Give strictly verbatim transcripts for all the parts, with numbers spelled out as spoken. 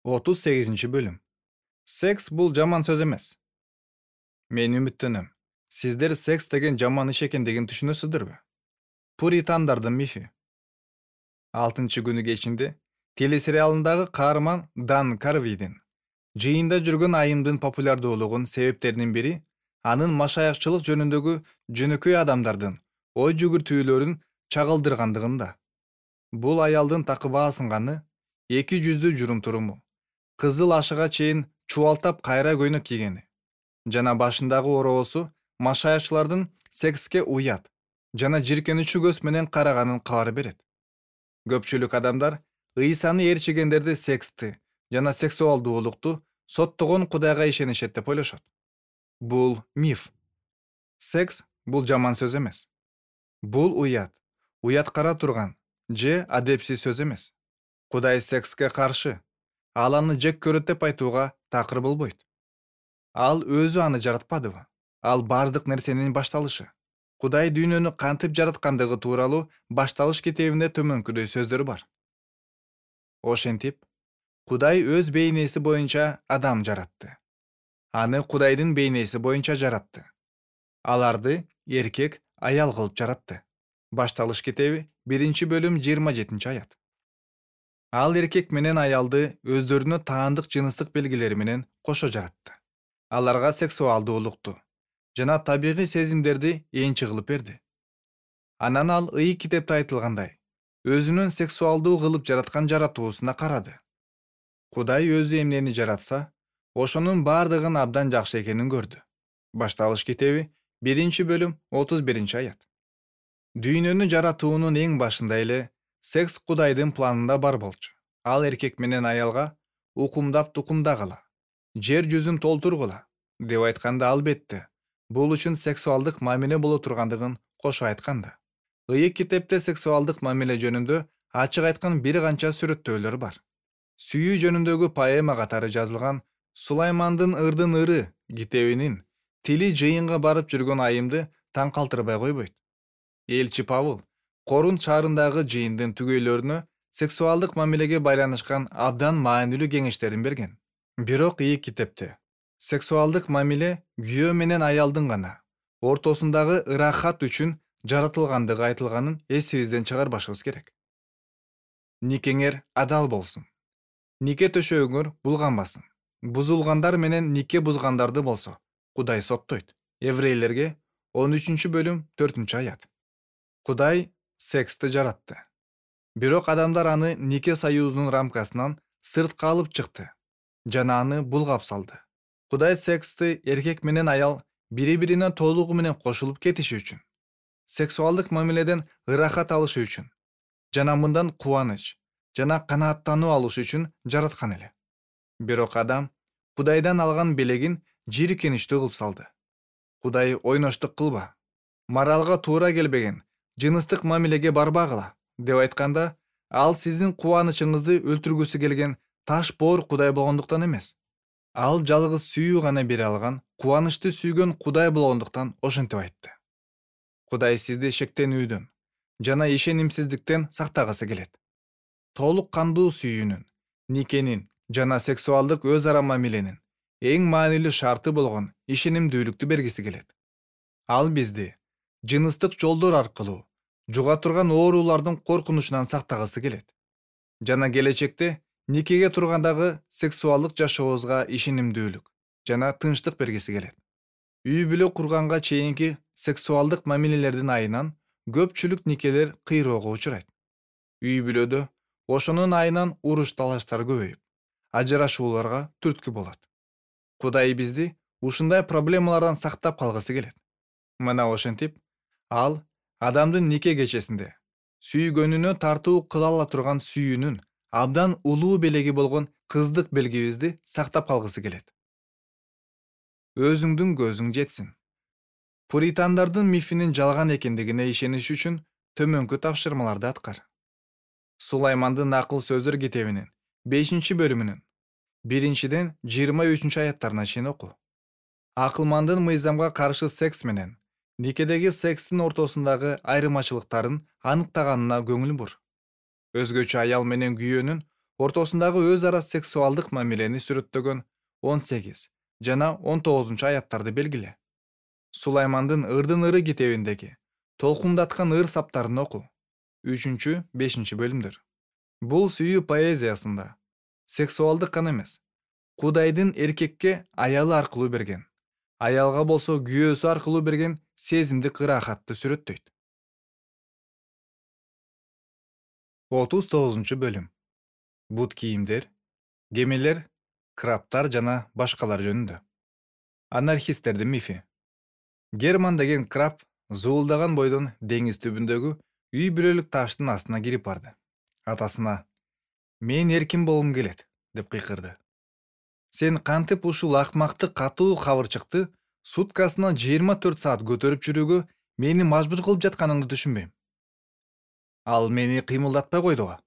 отуз сегизинчи бөлүм. Секс бул жаман сөз эмес. Мен үмүттөнөм. Сиздер секс деген жаман иш экендигин түшүнөсүздөрбү? Пуритандардын мифи. алтынчы күнү кечинде телесериалындагы каарман Дан Карвидин жыйында жүргөн айымдын популярдуулугунун себептеринин бири анын машаякчылык жөнүндөгү жөнөкөй адамдардын ой жүгүртүүлөрүн чагылдыргандыгында. Бул аялдын такыба асынганы, эки жүздүү журум-туруму, кызыл ашыга чейин чубалтап кайра көйнөк кийгени жана башындагы ороосу машаякчылардын секске уят жана жиркенүүчү көз менен караганын кабар берет. Көпчүлүк адамдар ыйсаны ээрчигендерди сексти жана сексуалдуулукту соттогон Кудайга ишенишет деп ойлошот. Бул миф. Секс бул жаман сөз эмес. Бул уят, уяткара турган же адепсиз сөз эмес. Кудай секске каршы. Ал аны жек көрөт деп айтууга такыр болбойт. Ал өзү аны жаратпадыбы? Ал бардык нерсенин башталышы. Кудай дүйнөнү кантип жараткандыгы тууралуу Башталыш китебинде төмөнкүдөй сөздөр бар. Ошентип, Кудай өз бейнеси боюнча адам жаратты. Аны Кудайдын бейнеси боюнча жаратты. Аларды эркек, аял кылып жаратты. Башталыш китеби биринчи бөлүм жыйырма жетинчи аят. Ал эркек менен аялды өздөрүнө таандык жыныстык белгилери менен кошо жаратты. Аларга сексуалдуулукту жана табигый сезимдерди энчи кылып берди. Анан ал Ыйык китепте айтылгандай, өзүнүн сексуалдуу кылып жараткан жаратуусуна карады. Кудай өзү эмнени жаратса, ошонун бардыгын абдан жакшы экенин көрдү. Башталыш китеби биринчи бөлүм отуз биринчи аят. Дүйнөнү жаратуунун эң башында эле секс Кудайдын планында бар болчу. Ал эркек менен аялга укумдап тукумдагыла, жер жүзүн толтургула деп айтканда албетте бул үчүн сексуалдык мамиле боло тургандыгын кошо айтканда. Ыйык китепте сексуалдык мамиле жөнүндө ачык айткан бир канча сүрөттөөлөр бар. Сүйүү жөнүндөгү поэма катары жазылган Сулаймандын ырдын ыры китебинин тили жыйынга барып жүргөн айымды таң калтырбай койбойт. Элчи Павыл Корунт шаарындагы жыйындын түгөйлөрүнө сексуалдык мамилеге байланышкан абдан маанилүү кеңештерин берген. Бирок Ыйык китепте сексуалдык мамиле күйөө менен аялдын гана ортосундагы ырахат үчүн жаратылгандыгы айтылганын эсибизден чыгарбашыбыз керек. Никеңер адал болсун. Нике төшөгүңөр булганбасын. Бузулгандар менен нике бузгандарды болсо Кудай соттойт. Еврейлерге он үчүнчү бөлүм төртүнчү аят. Кудай сексти жаратты. Бирок адамдар аны нике союзунун рамкасынан сыртка алып чыкты жана аны булгап салды. Кудай сексти эркек менен аял бири-бирине толугу менен кошулуп кетиши үчүн, сексуалдык мамиледен ырахат алышы үчүн жана мындан кубаныч жана канааттануу алышы үчүн жараткан эле. Бирок адам Кудайдан алган белегин жийиркеничтүү кылып салды. Кудай ойноштук кылба, моралга туура келбеген жыныстык мамилеге барбагыла деп айтканда, ал сиздин кубанычыңызды өлтүргүсү келген таш боор Кудай болгондуктан эмес. Ал жалгыз сүйүү гана бере алган, кубанычты сүйгөн Кудай болгондуктан ошентип айтты. Кудай сизди шектенүүдөн жана ишенимсиздиктен сактагысы келет. Толук кандуу сүйүүнүн, никенин жана сексуалдык өз ара мамиленин эң маанилүү шарты болгон ишенимдүүлүктү бергиси келет. Ал бизди жыныстык жолдор аркылуу жуга турган оорулардын коркунучунан сактагысы келет. Жана келечекте никеге тургандагы сексуалдык жашообузга ишенимдүүлүк жана тынчтык бергиси келет. Үй бүлө курганга чейинки сексуалдык мамилелердин айынан көпчүлүк никелер кыйроого учурайт. Үй бүлөдө ошонун айынан уруш талаштар көбөйүп, ажырашууларга түрткү болот. Кудай бизди ушундай проблемалардан сактап калгысы келет. Мына ошентип, ал адамдын нике кечесинде сүйгөнүнө тартуу кыла ала турган сүйүүнүн абдан улуу белеги болгон кыздык белгибизди сактап калгысы келет. Өзүңдүн көзүң жетсин. Пуритандардын мифинин жалган экендигине ишениш үчүн төмөнкү тапшырмаларды аткар. Сулаймандын акыл сөздөр китебинин бешинчи бөлүмүнүн биринчиден жыйырма үчүнчү аяттарына чейин оку. Акылмандын мыйзамга каршы секс менен никедеги секстин ортосундагы айырмачылыктарын аныктаганына көңүл бур. Өзгөчө аял менен күйөөнүн ортосундагы өз ара сексуалдык мамилени сүрөттөгөн он сегиз жана он тогузунчу аяттарды белгиле. Сулаймандын Ырдын ыры китебиндеги толкундаткан ыр саптарын оку. үчүнчү бешинчи бөлүмдөр. Бул сүйүү поэзиясында сексуалдык гана эмес, Кудайдын эркекке аялы аркылуу берген, аялга болсо күйөөсү аркылуу берген сезимдик ырахатты сүрөттөйт. отуз тогузунчу бөлүм. Бут кийимдер, кемелер, крабтар жана башкалар жөнүндө. Анархисттердин мифи. Герман деген краб зуулдаган бойдон деңиз түбүндөгү үй бүлөлүк таштын астына кирип барды. Атасына: "Мен эркин болгум келет", деп кыйкырды. "Сен кантип ушул акмакты катуу кабырчыкты суткасына жыйырма төрт саат көтөрүп жүрүүгө мени мажбур кылып жатканыңды түшүнбөйм. Ал мени кыймылдатпай койдуга.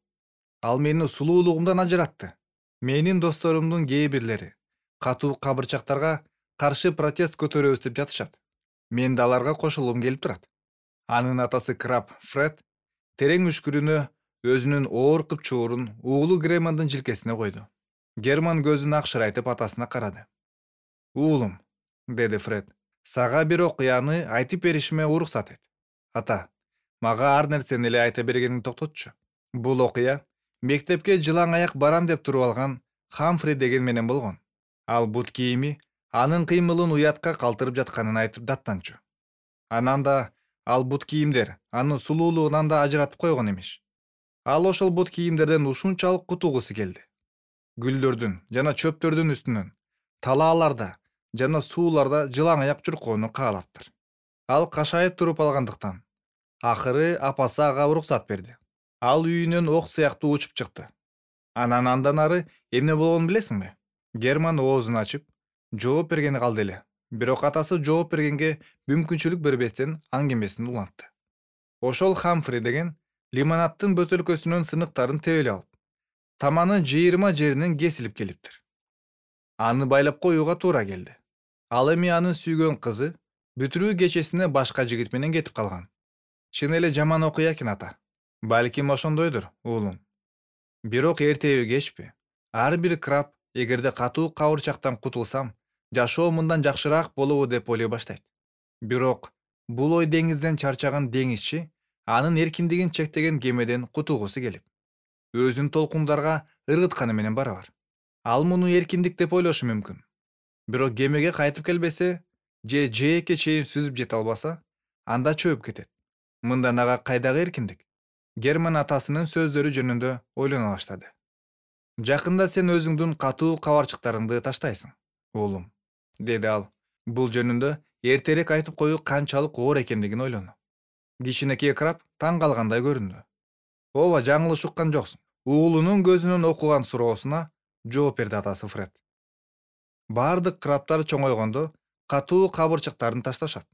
Ал мени сулуулугумдан ажыратты. Менин досторумдун кээ бирлери катуу кабырчактарга каршы протест көтөрөбүз деп жатышат. Мен да аларга кошулгум келип турат." Анын атасы краб Фред терең үшкүрүнө өзүнүн оор кыпчуурун уулу Германдын жилкесине койду. Герман көзүн акшырайтып атасына карады. "Уулум", деди Фред, "сага бир окуяны айтып беришиме уруксат эт." "Ата, мага ар нерсени эле айта бергениңди токтотчу." Бул окуя мектепке жылаң аяк барам деп туруп алган Хамфри деген менен болгон. Ал бут кийими анын кыймылын уятка калтырып жатканын айтып даттанчу. Анан да ал бут кийимдер аны сулуулугунан да ажыратып койгон эмиш. Ал ошол бут кийимдерден ушунчалык кутулгусу келди. Гүлдөрдүн жана чөптөрдүн үстүнөн, талааларда жана сууларда жылаң аяк чуркоону каалаптыр. Ал кашайып туруп алгандыктан акыры апасы ага уруксат берди. Ал үйүнөн ок сыяктуу учуп чыкты. Анан андан ары эмне болгонун билесиңби? Герман оозун ачып жооп бергени калды эле. Бирок атасы жооп бергенге мүмкүнчүлүк бербестен аңгемесин улантты. Ошол Хамфри деген лимонадтын бөтөлкөсүнүн сыныктарын тебелеп алып, таманы жыйырма жеринен кесилип келиптир. Аны байлап коюуга туура келди. Ал эми анын сүйгөн кызы бүтүрүү кечесине башка жигит менен кетип калган. Чын эле жаман окуя экен, ата. Балким ошондойдур, уулум. Бирок эртеби кечпи, ар бир краб эгерде катуу кабырчактан кутулсам, жашоо мындан жакшыраак болобу деп ойлой баштайт. Бирок бул ой деңизден чарчаган деңизчи анын эркиндигин чектеген кемеден кутулгусу келип, өзүн толкундарга ыргытканы менен барабар. Ал муну эркиндик деп ойлошу мүмкүн. Бирок кемеге кайтып келбесе же жээкке чейин сүзүп жете албаса, анда чөп кетет. Мындан ага кайдагы эркиндик? Герман атасынын сөздөрү жөнүндө ойлоно баштады. "Жакында сен өзүңдүн катуу кабарчыктарыңды таштайсың, уулум", деди ал. Бул жөнүндө эртерээк айтып коюу канчалык оор экендигин ойлону. Кичинекей краб таң калгандай көрүндү. "Ооба, жаңылыш уккан жоксуң", уулунун көзүнөн окуган суроосуна жооп берди атасы Фред. Бардык крабтар чоңойгондо катуу кабырчыктарын ташташат.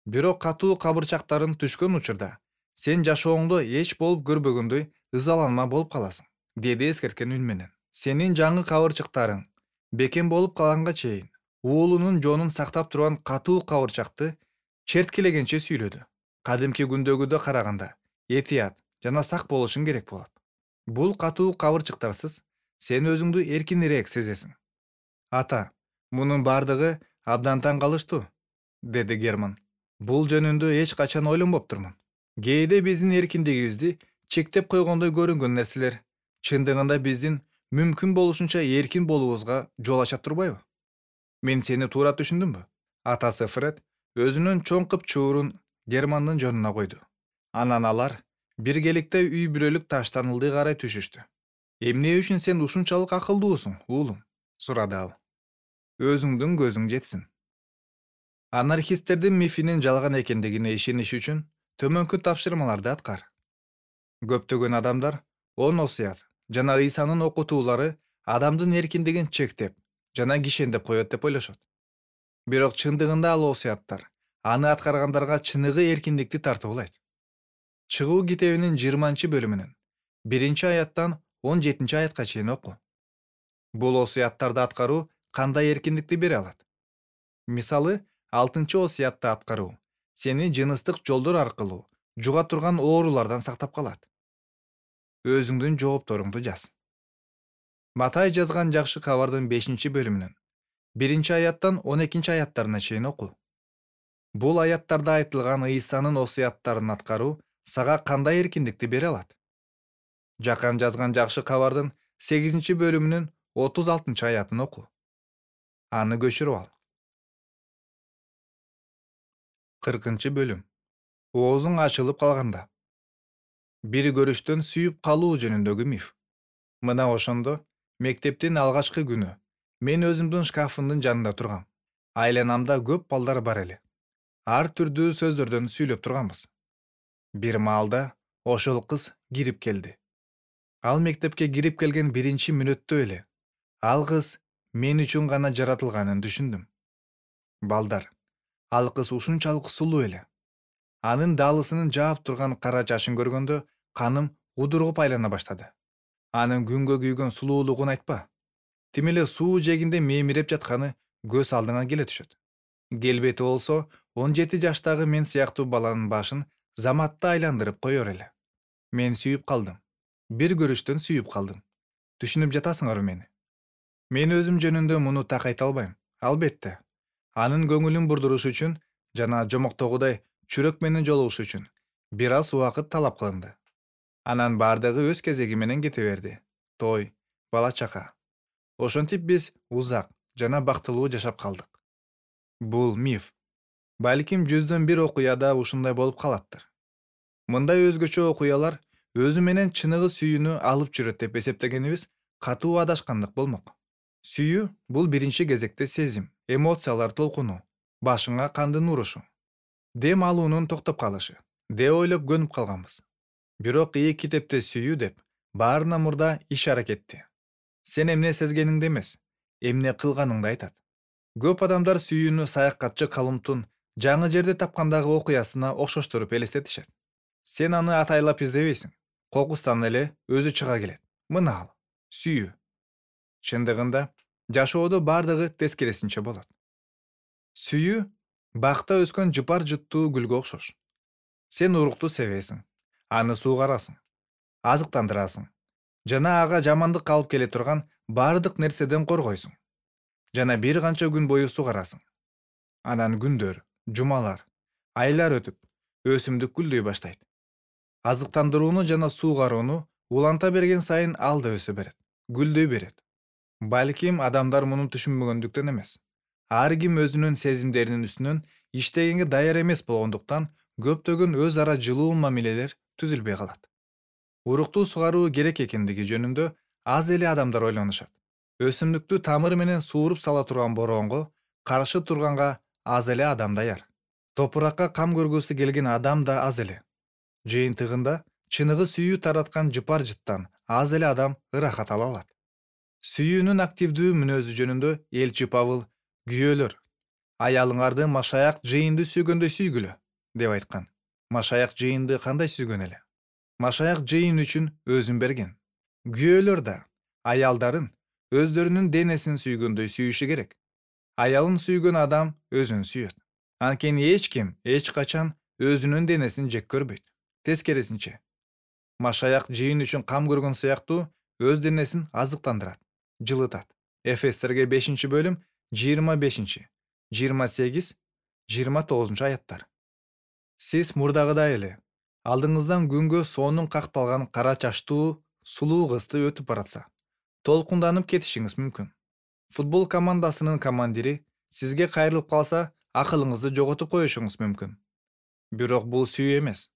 Бирок катуу кабырчактарын түшкөн учурда сен жашооңдо эч болуп көрбөгөндөй ызаланма болуп каласың, деди эскерткен үн менен. Сенин жаңы кабырчыктарың бекем болуп калганга чейин уулунун жонун сактап турган катуу кабырчакты черткилегенче сүйлөдү. Кадимки күндөгүдө караганда этият жана сак болушуң керек болот. Бул катуу кабырчыктарсыз сен өзүңдү эркинирээк сезесиң. "Ата, мунун бардыгы абдан таң калыштуу", деди Герман. "Бул жөнүндө эч качан ойлонбоптурмун. Кээде биздин эркиндигибизди чектеп койгондой көрүнгөн нерселер чындыгында биздин мүмкүн болушунча эркин болуубузга жол ача турбайбы? Мен сени туура түшүндүмбү?" Атасы Фред өзүнүн чоң кыпчуурун Германдын жонуна койду. Анан алар биргеликте үй бүлөлүк таштан ылдый карай түшүштү. "Эмне үчүн сен ушунчалык акылдуусуң, уулум?" сурады ал. "Өзүңдүн көзүң жетсин." Анархисттердин мифинин жалган экендигине ишениш үчүн төмөнкү тапшырмаларды аткар. Көптөгөн адамдар он осуят жана Ыйсанын окутуулары адамдын эркиндигин чектеп жана кишендеп коет деп ойлошот. Бирок чындыгында ал осуяттар аны аткаргандарга чыныгы эркиндикти тартуулайт. Чыгуу китебинин жыйырманчы бөлүмүнөн биринчи аяттан он жетинчи аятка чейин оку. Бул осуяттарды аткаруу кандай эркиндикти бере алат? Мисалы, алтынчы осуятты аткаруу сени жыныстык жолдор аркылуу жуга турган оорулардан сактап калат. Өзүңдүн жоопторуңду жаз. Матай жазган жакшы кабардын бешинчи бөлүмүнөн биринчи аяттан он экинчи аяттарына чейин оку. Бул аяттарда айтылган Ыйсанын осуяттарын аткаруу сага кандай эркиндикти бере алат? Жакан жазган жакшы кабардын сегизинчи бөлүмүнүн отуз алтынчы аятын оку. Аны көчүрүп ал. кыркынчы бөлүм. Оозуң ачылып калганда. Бир көрүштөн сүйүп калуу жөнүндөгү миф. Мына ошондо мектептин алгачкы күнү мен өзүмдүн шкафымдын жанында тургам. Айланамда көп балдар бар эле. Ар түрдүү сөздөрдөн сүйлөп турганбыз. Бир маалда ошол кыз кирип келди. Ал мектепке кирип келген биринчи мүнөттө эле ал кыз мен үчүн гана жаратылганын түшүндүм. Балдар, ал кыз ушунчалык сулуу эле. Анын даалысынын жаап турган кара чачын көргөндө каным удургуп айлана баштады. Анын күнгө күйгөн сулуулугун айтпа. Тим эле суу жээгинде мемиреп жатканы көз алдыңа келе түшөт. Келбети болсо он жети жаштагы мен сыяктуу баланын башын заматта айландырып коёр эле. Мен сүйүп калдым. Бир көрүштөн сүйүп калдым. Түшүнүп жатасыңарбы мени? Мен өзүм жөнүндө муну так айта албайм. Албетте, анын көңүлүн бурдуруш үчүн жана жомоктогудай чүрөк менен жолугуш үчүн бир аз убакыт талап кылынды. Анан бардыгы өз кезеги менен кете берди. Той, бала чака. Ошентип биз узак жана бактылуу жашап калдык. Бул миф. Балким жүздөн бир окуяда ушундай болуп калаттыр. Мындай өзгөчө окуялар өзү менен чыныгы сүйүүнү алып жүрөт деп эсептегенибиз катуу адашкандык болмок. Сүйүү бул биринчи кезекте сезим, эмоциялар толкуну, башыңа кандын урушу, дем алуунун токтоп калышы деп ойлоп көнүп калганбыз. Бирок ии китепте сүйүү деп баарына мурда иш аракетти. Сен эмне сезгениңди эмес, эмне кылганыңды айтат. Көп адамдар сүйүүнү саякатчы Колумбтун жаңы жерди тапкандагы окуясына окшоштуруп элестетишет. Сен аны атайлап издебейсиң. Кокустан эле өзү чыга келет. Мына ал, сүйүү. Чындыгында жашоодо бардыгы тескерисинче болот. Сүйүү бакта өскөн жыпар жыттуу гүлгө окшош. Сен урукту себесиң, аны суугарасың, азыктандырасың жана ага жамандык алып келе турган бардык нерседен коргойсуң. Жана бир канча күн бою суугарасың. Анан күндөр, жумалар, айлар өтүп, өсүмдүк гүлдөй баштайт. Азыктандырууну жана суугарууну уланта берген сайын ал да өсө берет, гүлдөй берет. Балким адамдар муну түшүнбөгөндүктөн эмес. Ар ким өзүнүн сезимдеринин үстүнөн иштегенге даяр эмес болгондуктан көптөгөн өз ара жылуу мамилелер түзүлбөй калат. Урукту суугаруу керек экендиги жөнүндө аз эле адамдар ойлонушат. Өсүмдүктү тамыры менен сууруп сала турган бороонго каршы турганга аз эле адам даяр. Топуракка кам көргүсү келген адам да аз эле. Жыйынтыгында чыныгы сүйүү тараткан жыпар жыттан аз эле адам ырахат ала алат. Сүйүүнүн активдүү мүнөзү жөнүндө элчи Павыл күйөөлөр аялыңарды машаяк жыйынды сүйгөндөй сүйгүлө деп айткан. Машаяк жыйынды кандай сүйгөн эле? Машаяк жыйын үчүн өзүн берген. Күйөөлөр да аялдарын өздөрүнүн денесин сүйгөндөй сүйүшү керек. Аялын сүйгөн адам өзүн сүйөт. Анткени эч ким эч качан өзүнүн денесин жек көрбөйт. Тескерисинче, машаяк жыйын үчүн кам көргөн сыяктуу өз денесин азыктандырат, жылытат. Эфестерге бешинчи бөлүм жыйырма бешинчи, жыйырма сегиз, жыйырма тогузунчу аяттар. Сиз мурдагыдай эле алдыңыздан күнгө сонун какталган кара чачтуу сулуу кызды өтүп баратса, толкунданып кетишиңиз мүмкүн. Футбол командасынын командири сизге кайрылып калса, акылыңызды жоготуп коюшуңуз мүмкүн. Бирок бул сүйүү эмес.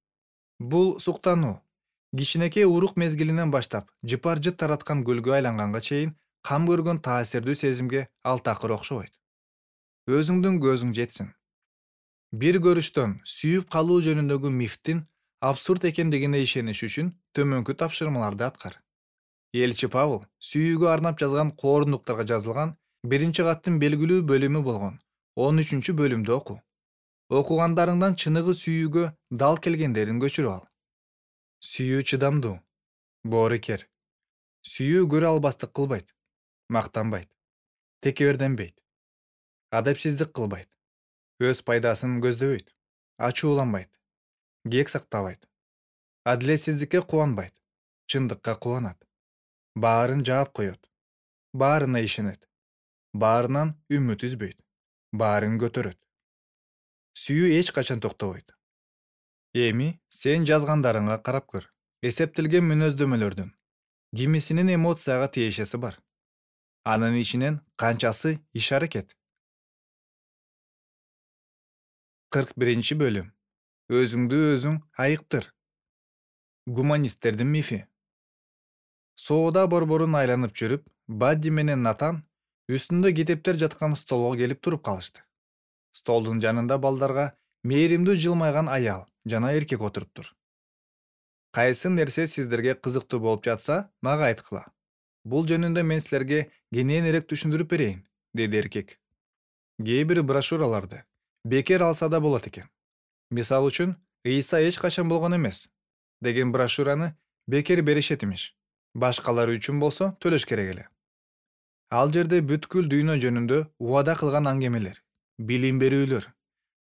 Бул суктануу. Кичинекей урук мезгилинен баштап жыпар жыт тараткан гүлгө айланганга чейин кам көргөн таасирдүү сезимге ал такыр окшобойт. Өзүңдүн көзүң жетсин. Бир көрүштөн сүйүп калуу жөнүндөгү мифтин абсурд экендигине ишениш үчүн төмөнкү тапшырмаларды аткар. Элчи Павыл сүйүүгө арнап жазган коорундуктарга жазылган биринчи каттын белгилүү бөлүмү болгон он үчүнчү бөлүмдү оку. Окугандарыңдан чыныгы сүйүүгө дал келгендерин көчүрүп ал. Сүйүү чыдамдуу, боорукер. Сүйүү көрө албастык кылбайт, мактанбайт, текеберденбейт, адепсиздик кылбайт, өз пайдасын көздөбөйт, ачууланбайт, кек сактабайт, адилетсиздикке кубанбайт, чындыкка кубанат, баарын жаап коет, баарына ишенет, баарынан үмүт үзбөйт, баарын көтөрөт. Сүйүү эч качан токтобойт. Эми сен жазгандарыңа карап көр. Эсептелген мүнөздөмөлөрдүн кимисинин эмоцияга тиешеси бар. Анын ичинен канчасы иш аракет? кырк биринчи бөлүм. Өзүңдү өзүң айыктыр. Гуманисттердин мифи. Соода борборун айланып жүрүп, Бадди менен Натан үстүндө китептер жаткан столго келип туруп калышты. Столдун жанында балдарга мээримдүү жылмайган аял жана эркек отуруптур. Кайсы нерсе сиздерге кызыктуу болуп жатса, мага айткыла. Бул жөнүндө мен силерге кененирээк түшүндүрүп берейин, деди эркек. Кээ бир брошюраларды бекер алса да болот экен. Мисалы үчүн, Ыйса эч качан болгон эмес деген брошюраны бекер беришет имиш. Башкалары үчүн болсо төлөш керек эле. Ал жерде бүткүл дүйнө жөнүндө убада кылган аңгемелер, билим берүүлөр,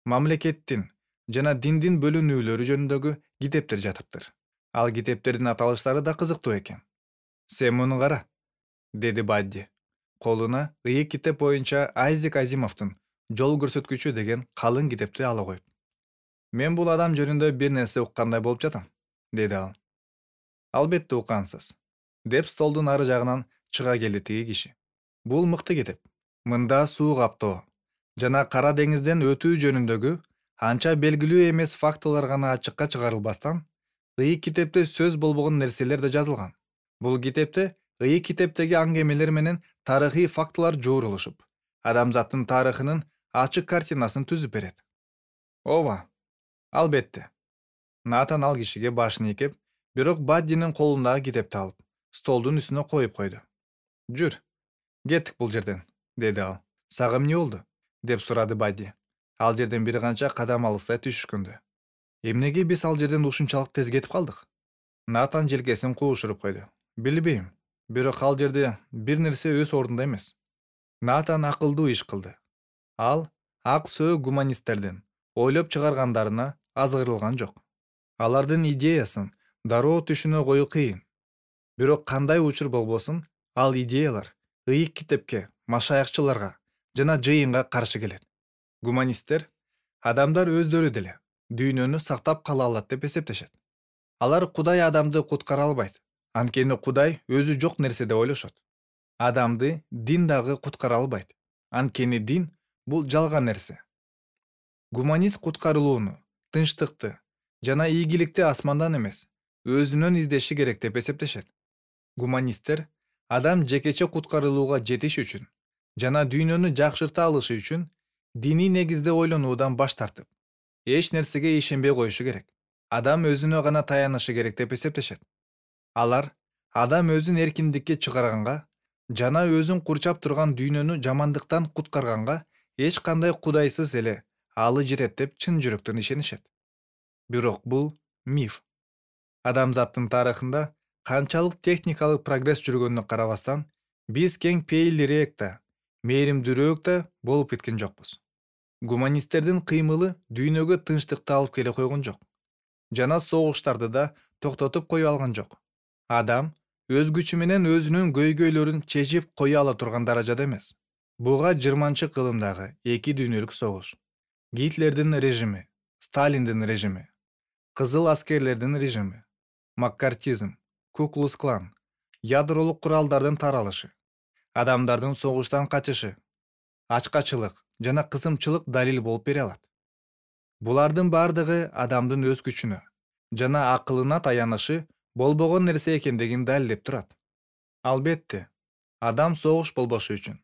мамлекеттин жана диндин бөлүнүүлөрү жөнүндөгү китептер жатыптыр. Ал китептердин аталыштары да кызыктуу экен. Сен муну кара, деди Бадди. Колуна ыйык китеп боюнча Айзек Азимовдун Жол көрсөткүчү деген калың китепти ала коюп. Мен бул адам жөнүндө бир нерсе уккандай болуп жатам, деди ал. Албетте уккансыз, деп столдун ары жагынан чыга келди тиги киши. Бул мыкты китеп. Мында суу каптоо жана Кара деңизден өтүү жөнүндөгү анча белгилүү эмес фактылар гана ачыкка чыгарылбастан, ыйык китепте сөз болбогон нерселер да жазылган. Бул китепте ыйык китептеги аңгемелер менен тарыхый фактылар жоорулушуп, адамзаттын тарыхынын ачык картинасын түзүп берет. Ооба, албетте. Натан ал кишиге башын ийкеп, бирок Баддинин колундагы китепти алып, столдун үстүнө коюп койду. Жүр, кеттик бул жерден, деди ал. Сага эмне болду? Деп сурады Бадди. Ал жерден бир канча кадам алыстай түшүшкөндө. Эмнеге биз ал жерден ушунчалык тез кетип калдык? Натан желкесин куушуруп койду. Билбейм, бирок ал жерде бир нерсе өз ордунда эмес. Натан акылдуу иш кылды. Ал ак сөөк гуманисттердин ойлоп чыгаргандарына азгырылган жок. Алардын идеясын дароо түшүнө коюу кыйын. Бирок кандай учур болбосун, ал идеялар ыйык китепке, машаякчыларга жана жыйынга каршы келет. Гуманисттер адамдар өздөрү деле дүйнөнү сактап кала алат деп эсептешет. Алар Кудай адамды куткара албайт. Анткени Кудай өзү жок нерсе деп ойлошот. Адамды дин дагы куткара албайт. Анткени дин бул жалган нерсе. Гуманист куткарылууну, тынчтыкты жана ийгиликти асмандан эмес, өзүнөн издеши керек деп эсептешет. Гуманисттер адам жекече куткарылууга жетиш үчүн жана дүйнөнү жакшырта алышы үчүн диний негизде ойлонуудан баш тартып, эч нерсеге ишенбей коюшу керек. Адам өзүнө гана таянышы керек деп эсептешет. Алар адам өзүн эркиндикке чыгарганга жана өзүн курчап турган дүйнөнү жамандыктан куткарганга эч кандай кудайсыз эле алы жетет деп чын жүрөктөн ишенишет. Бирок бул миф. Адамзаттын тарыхында канчалык техникалык прогресс жүргөнүнө карабастан, биз кең пейилдүүрөөк да, мээримдүүрөөк да болуп кеткен жокпуз. Гуманисттердин кыймылы дүйнөгө тынчтыкты алып келе койгон жок. Жана согуштарды да токтотуп кое алган жок. Адам өз күчү менен өзүнүн көйгөйлөрүн чечип кое ала турган даражада эмес. Буга жыйырманчы кылымдагы эки дүйнөлүк согуш, Гитлердин режими, Сталиндин режими, кызыл аскерлердин режими, маккартизм, Ку-клукс-клан, ядролук куралдардын таралышы, адамдардын согуштан качышы, ачкачылык жана кысымчылык далил болуп бере алат. Булардын бардыгы адамдын өз күчүнө жана акылына таянышы болбогон нерсе экендигин далилдеп турат. Албетте, адам согуш болбошу үчүн,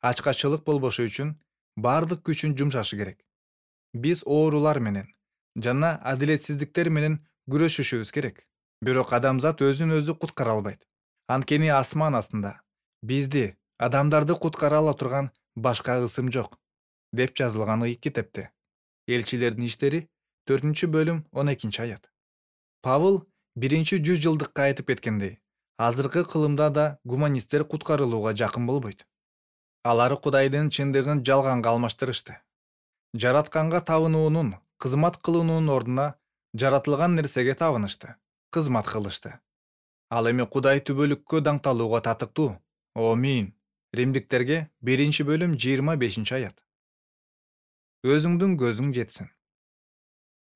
ачкачылык болбошу үчүн бардык күчүн жумшашы керек. Биз оорулар менен жана адилетсиздиктер менен күрөшүшүбүз керек. Бирок адамзат өзүн өзү куткара албайт. Анткени асман астында бизди, адамдарды куткара ала турган башка ысым жок, деп жазылган ыйык китепте. Элчилердин иштери төртүнчү бөлүм он экинчи аят. Павыл биринчи жүз жылдыкка айтып кеткендей, азыркы кылымда да гуманисттер куткарылууга жакын болбойт. Алар Кудайдын чындыгын жалганга алмаштырышты. Жаратканга табынуунун, кызмат кылуунун ордуна жаратылган нерсеге табынышты, кызмат кылышты. Ал эми Кудай түбөлүккө даңталууга татыктуу. Омин, Римдиктерге биринчи бөлүм жыйырма бешинчи аят. Өзүңдүн көзүң жетсин.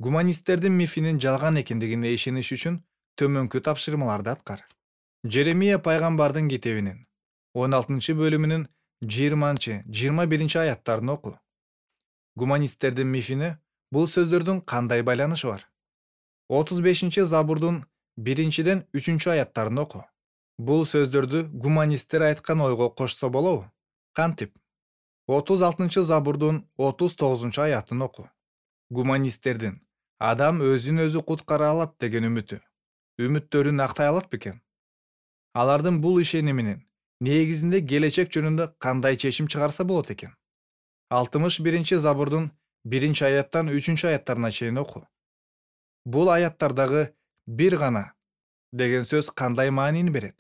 Гуманисттердин мифинин жалган экендигине ишениш үчүн төмөнкү тапшырмаларды аткар. Жеремия пайгамбардын китебинин он алтынчы бөлүмүнүн жыйырманчы жыйырма биринчи аяттарын оку. Гуманисттердин мифине бул сөздөрдүн кандай байланышы бар? отуз бешинчи забурдун биринчиден үчүнчү аяттарын оку. Бул сөздөрдү гуманисттер айткан ойго кошсо болобу? Кантип? отуз алтынчы забурдун отуз тогузунчу аятын оку. Гуманисттердин адам өзүн өзү куткара алат деген үмүтү, үмүттөрүн актай алат бекен? Алардын бул ишениминин негизинде келечек жөнүндө кандай чечим чыгарса болот экен? алтымыш биринчи забурдун биринчи аяттан үчүнчү аяттарына чейин оку. Бул аяттардагы бир гана деген сөз кандай маанини берет?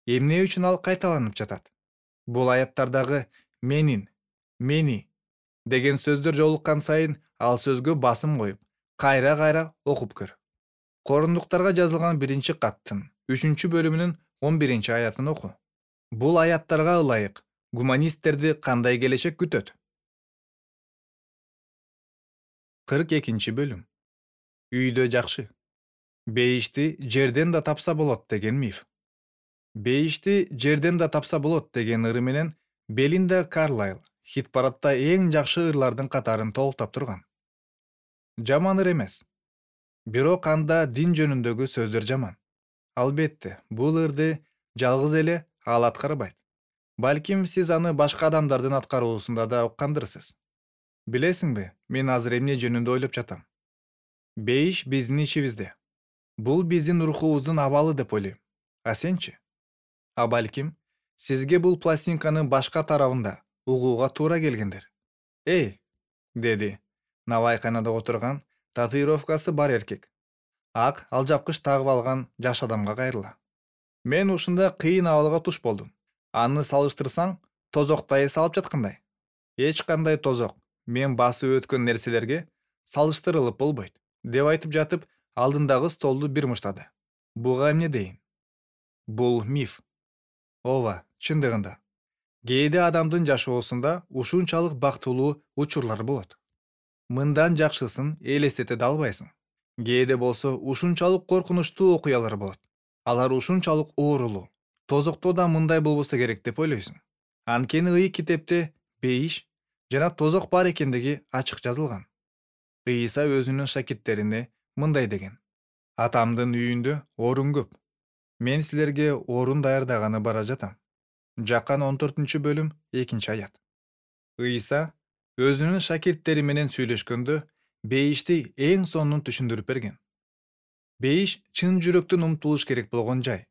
Эмне үчүн ал кайталанып жатат? Бул аяттардагы менин, мени деген сөздөр жолуккан сайын ал сөзгө басым коюп, кайра-кайра окуп көр. Корундуктарга жазылган биринчи каттын үчүнчү бөлүмүнүн он биринчи аятын оку. Бул аяттарга ылайык гуманисттерди кандай келечек күтөт? кырк экинчи бөлүм. Үйдө жакшы. Бейишти жерден да тапса болот деген миф. Бейишти жерден да тапса болот деген ыры менен Белинда Карлайл хит-парадта эң жакшы ырлардын катарын толуктап турган. Жаман ыр эмес. Бирок анда дин жөнүндөгү сөздөр жаман. Албетте, бул ырды жалгыз эле ал аткарбайт. Балким сиз аны башка адамдардын аткаруусунда да уккандырсыз. Билесиңби, мен азыр эмне жөнүндө ойлоп жатам? Бейиш биздин ичибизде. Бул биздин рухубуздун абалы деп ойлойм. А сенчи? А балким, сизге бул пластинканын башка тарабында угууга туура келгендир. Эй, деди навайканада отурган татуировкасы бар эркек. Ак алжапкыч тагып алган жаш адамга кайрыла. Мен ушундай кыйын абалга туш болдум. Аны салыштырсаң, тозоктой салып жаткандай. Эч кандай тозок мен басып өткөн нерселерге салыштырылып болбойт, деп айтып жатып, алдындагы столду бир муштады. Буга эмне дейин? Бул миф. Ооба, чындыгында. Кээде адамдын жашоосунда ушунчалык бактылуу учурлар болот. Мындан жакшысын элестете да албайсың. Кээде болсо ушунчалык коркунучтуу окуялар болот. Алар ушунчалык оорулуу. Тозокто да мындай болбосо керек деп ойлойсуң. Анткени Ыйык китепте бейиш жана тозок бар экендиги ачык жазылган. Ыйса өзүнүн шакирттерине мындай деген: Атамдын үйүндө орун көп. Мен силерге орун даярдаганы бара жатам. Жакан он төртүнчү бөлүм экинчи аят. Ыйса өзүнүн шакирттери менен сүйлөшкөндө бейишти эң сонун түшүндүрүп берген. Бейиш чын жүрөктөн умтулуш керек болгон жай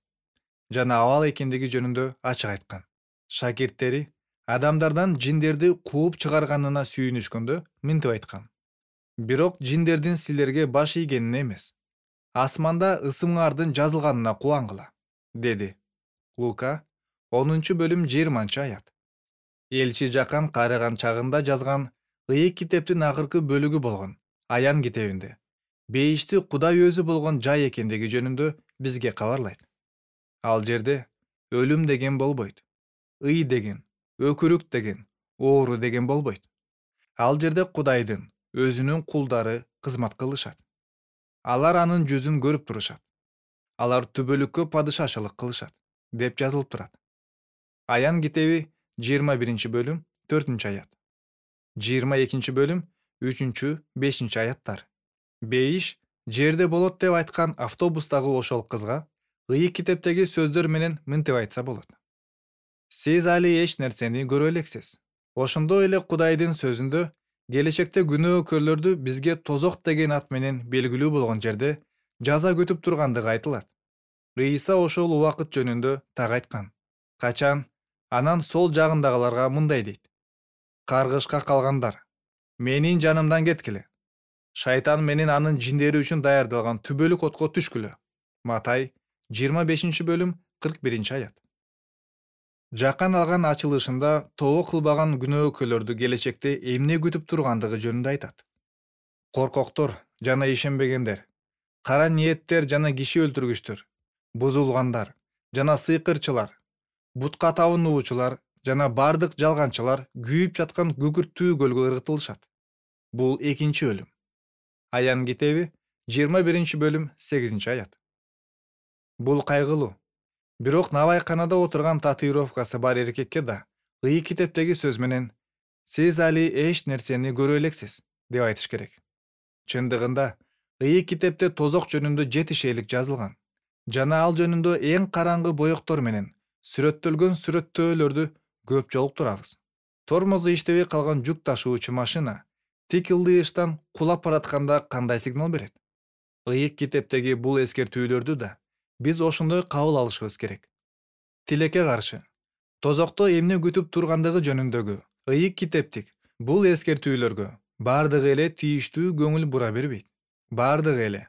жана абал экендиги жөнүндө ачык айткан. Шакирттери адамдардан жиндерди кууп чыгарганына сүйүнүшкөндө мынтип айткан: Бирок жиндердин силерге баш ийгенине эмес, асманда ысымыңардын жазылганына кубангыла, деди. Лука онунчу бөлүм жыйырманчы аят. Элчи Жакан карыган чагында жазган Ыйык китептин акыркы бөлүгү болгон Аян китебинде бейишти Кудай өзү болгон жай экендиги жөнүндө бизге кабарлайт. Ал жерде өлүм деген болбойт, ый деген, өкүрүк деген, оору деген болбойт. Ал жерде Кудайдын өзүнүн кулдары кызмат кылышат. Алар анын жүзүн көрүп турушат. Алар түбөлүккө падышачылык кылышат, деп жазылып турат. Аян китеби жыйырма биринчи бөлүм төртүнчү аят. жыйырма экинчи бөлүм үчүнчү бешинчи аяттар. Бейиш жерде болот деп айткан автобустагы ошол кызга Ыйык китептеги сөздөр менен мынтип айтса болот: Сиз али эч нерсени көрө элексиз. Ошондой эле Кудайдын сөзүндө келечекте күнөөкөрлөрдү бизге тозок деген ат менен белгилүү болгон жерде жаза күтүп тургандыгы айтылат. Ыйса ошол убакыт жөнүндө так айткан. Качан анан сол жагындагыларга мындай дейт: Каргышка калгандар, менин жанымдан кеткиле. Шайтан менен анын жиндери үчүн даярдалган түбөлүк отко түшкүлө. Матай жыйырма бешинчи бөлүм кырк биринчи аят. Жакан алган ачылышында тобо кылбаган күнөөкөрлөрдү келечекте эмне күтүп тургандыгы жөнүндө айтат. Коркоктор жана ишенбегендер, кара ниеттер жана киши өлтүргүчтөр, бузулгандар жана сыйкырчылар, бутка табынуучулар жана бардык жалганчылар күйүп жаткан күкүрттүү көлгө ыргытылышат. Бул экинчи өлүм. Аян китеби жыйырма биринчи бөлүм сегизинчи аят. Бул кайгылуу. Бирок навайканада отурган татуировкасы бар эркекке да Ыйык китептеги сөз менен сиз али эч нерсени көрө элексиз деп айтыш керек. Чындыгында Ыйык китепте тозок жөнүндө жети шейлик жазылган жана ал жөнүндө эң караңгы боектор менен сүрөттөлгөн сүрөттөөлөрдү көп жолуктурабыз. Тормозу иштебей калган жүк ташуучу машина тик ылдыйыштан кулап баратканда кандай сигнал берет? Ыйык китептеги бул эскертүүлөрдү да биз ошондой кабыл алышыбыз керек. Тилекке каршы, тозокто эмне күтүп тургандыгы жөнүндөгү Ыйык китептик бул эскертүүлөргө бардыгы эле тийиштүү көңүл бура бербейт. Бардыгы эле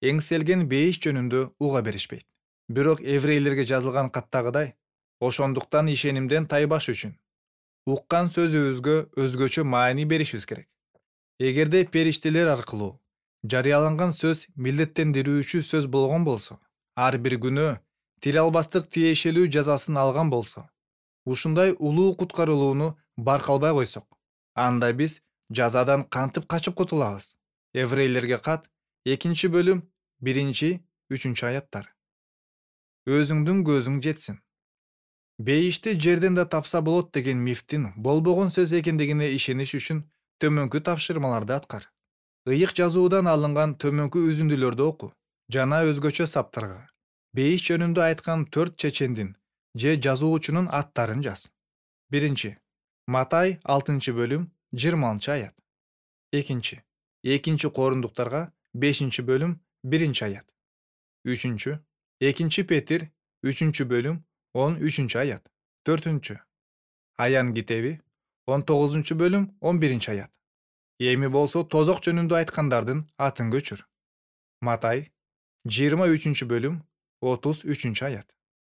эңселген бейиш жөнүндө уга беришпейт. Бирок еврейлерге жазылган каттагыдай, ошондуктан ишенимден тайбаш үчүн уккан сөзүбүзгө өзгөчө маани беришибиз керек. Эгерде периштелер аркылуу жарыяланган сөз милдеттендирүүчү сөз болгон болсо, ар бир күнөө тил албастык тиешелүү жазасын алган болсо, ушундай улуу куткарылууну баркалбай койсок, анда биз жазадан кантип качып кутулабыз? Еврейлерге кат экинчи бөлүм биринчи үчүнчү аяттар. Өзүңдүн көзүң жетсин. Бейишти жерден да тапса болот деген мифтин болбогон сөз экендигине ишениш үчүн төмөнкү тапшырмаларды аткар. Ыйык жазуудан алынган төмөнкү үзүндүлөрдү оку жана өзгөчө саптарга бейиш жөнүндө айткан төрт чечендин же жазуучунун аттарын жаз. Биринчи Матай алтынчы бөлүм жыйырманчы аят. Экинчи Экинчи Корундуктарга бешинчи бөлүм биринчи аят. Үчүнчү Экинчи Петир үчүнчү бөлүм он үчүнчү аят. Төртүнчү Аян китеби он тогузунчу бөлүм он биринчи аят. Эми болсо тозок жөнүндө айткандардын атын көчүр. Матай жыйырма үчүнчү бөлүм отуз үчүнчү аят.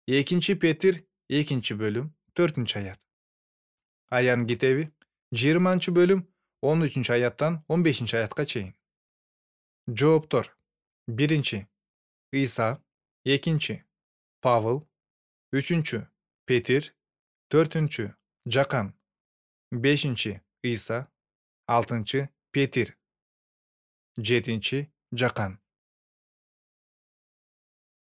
Экинчи Петир экинчи бөлүм төртүнчү аят. Аян китеби жыйырманчы бөлүм он үчүнчү аяттан он бешинчи аятка чейин. Жооптор: биринчи Ыйса, экинчи Павыл, үчүнчү Петир, төртүнчү Жакан, бешинчи Ыйса, алтынчы Петир, жетинчи Жакан.